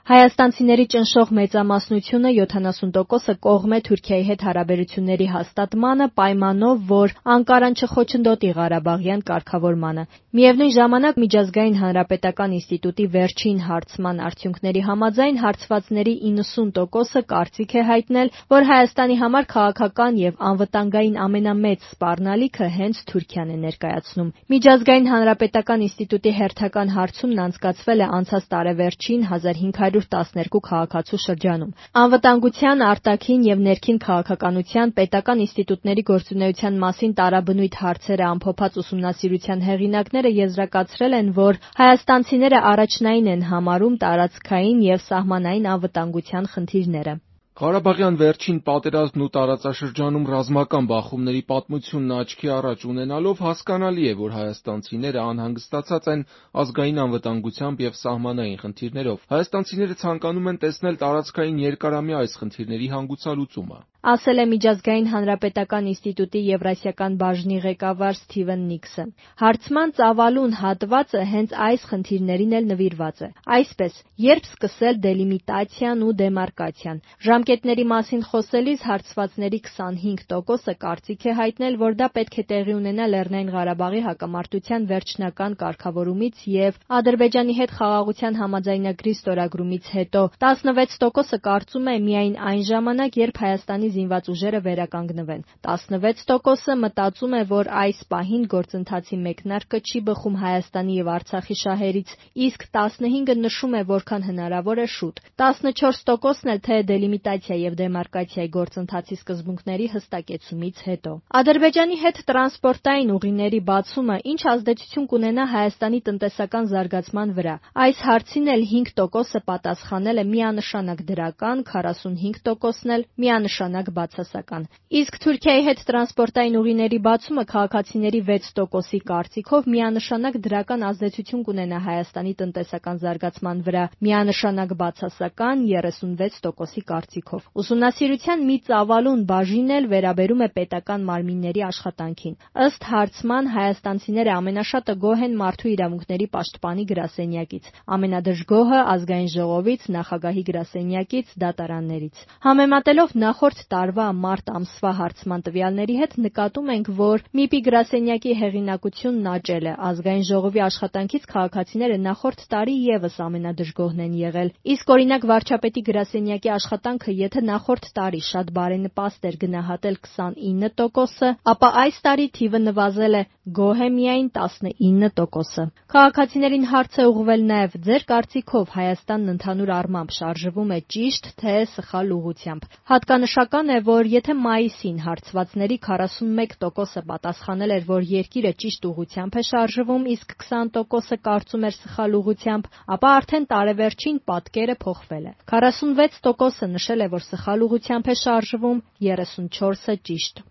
Հայաստանցիների ճնշող մեծամասնությունը 70%-ը կողմ է Թուրքիայի հետ հարաբերությունների հաստատմանը պայմանով, որ Անկարան չխոչընդոտի Ղարաբաղյան կարգավորմանը։ Միևնույն ժամանակ Միջազգային հանրապետական ինստիտուտի վերջին հարցման արդյունքների համաձայն հարցվածների 90%-ը կարծիք է հայտնել, որ Հայաստանի համար քաղաքական և անվտանգային ամենամեծ սպառնալիքը հենց Թուրքիան է ներկայացնում։ Միջազգային հանրապետական ինստիտուտի հերթական հարցումն անցկացվել է անցած տարեվերջին 1512 քաղաքացու շրջանում։ Անվտանգության, արտաքին և ներքին քաղաքականության պետական ինստիտուտների գործունեության մասին տարաբնույթ հարցերը ամփոփած ուսումնասիրության հեղինակները եզրակացրել են, որ հայաստանցիները առաջնային են համարում տարածքային և սահմանային անվտանգության խնդիրները։ Ղարաբաղյան վերջին պատերազմն ու տարածաշրջանում ռազմական բախումների պատմությունն աչքի առաջ ունենալով հասկանալի է, որ հայաստանցիները անհանգստացած են ազգային անվտանգությամբ և սահմանային խնդիրներով։ Հայաստանցիները ցանկանում են տեսնել տարածքային երկարամյա այս խնդիրների հանգուցալուծումը, ասել է Միջազգային հանրապետական ինստիտուտի Եվրասիական բաժնի ղեկավար Սթիվեն Նիքսը։ Հարցման ծավալուն հատվածը հենց այս խնդիրներին էլ նվիրված է։ Այսպես, երբ սկսել դելիմիտացիան ու դեմարկացիան։ Ժամկետների մասին խոսելիս հարցվածների 25%-ը կարծիք է հայտնել, որ դա պետք է տեղի ունենա Լեռնային Ղարաբաղի հակամարտության վերջնական կարգավորումից և Ադրբեջանի հետ խաղաղության համաձայնագրի ստորագրումից հետո։ 16%-ը կարծում է միայն այն ժամանակ, երբ Հայաստանի զինված ուժերը վերականգնվեն։ 16%-ը մտածում է, որ այս պահին գործընթացի մեկնարկը չի բխում Հայաստանի և Արցախի շահերից, իսկ 15%-ը նշում է որքան հնարավոր է շուտ։ 14%-ն էլ թե դելիմիտացիա և դեմարկացիայի գործընթացի սկզբունքների հստակեցումից հետո։ Ադրբեջանի հետ տրանսպորտային ուղիների բացումը ինչ ազդեցություն կունենա Հայաստանի տնտեսական զարգացման վրա։ Այս հարցին էլ 5%-ը պատասխանել է միանշանակ դրական, 45%-ն էլ միանշանակ բացասական։ Իսկ Թուրքիայի հետ տրանսպորտային ուղիների բացումը քաղաքացիների 6%-ի կարծիքով միանշանակ դրական ազդեցություն կունենա Հայաստանի տնտեսական զարգացման վրա, միանշանակ բացասական 36%-ի կարծիքով։ Ուսումնասիրության մի ծավալուն բաժին էլ վերաբերում է պետական մարմինների աշխատանքին։ Ըստ հարցման հայաստանցիները ամենաշատը գոհ են Մարդու իրավունքների պաշտպանի գրասենյակից, ամենադժգոհը Ազգային ժողովից, Նախագահի գրասենյակից, դատարաններից։ Համեմատելով նախորդ տարվա մարտ ամսվա հարցման տվյալների հետ նկատում ենք, որ ՄԻՊ-ի գրասենյակի հեղինակությունն աճել է, Ազգային ժողովի աշխատանքից քաղաքացիները նախորդ տարի ևս ամենադժգոհն են եղել, իսկ օրինակ վարչապետի գրասենյակի աշխատանքը եթե նախորդ տարի շատ բարենպաստ էր գնահատել 29%-ը, ապա այս տարի թիվը նվազել է, գոհ է միայն 19%-ը։ Քաղաքացիներին հարց է ուղղվել նաև ձեր կարծիքով Հայաստանն ընդհանուր առմամբ շարժվում է ճիշտ, թե սխալ ուղղությամբ։ Հատկանշական է, որ եթե մայիսին հարցվածների 41%-ը պատասխանել էր, որ երկիրը ճիշտ ուղղությամբ է շարժվում, իսկ 20%-ը կարծում էր սխալ ուղղությամբ, ապա արդեն տարեվերջին պատկերը փոխվել է։ 46%-ը նշել է, որ սխալ ուղղությամբ է շարժվում, 34%-ը ճիշտ։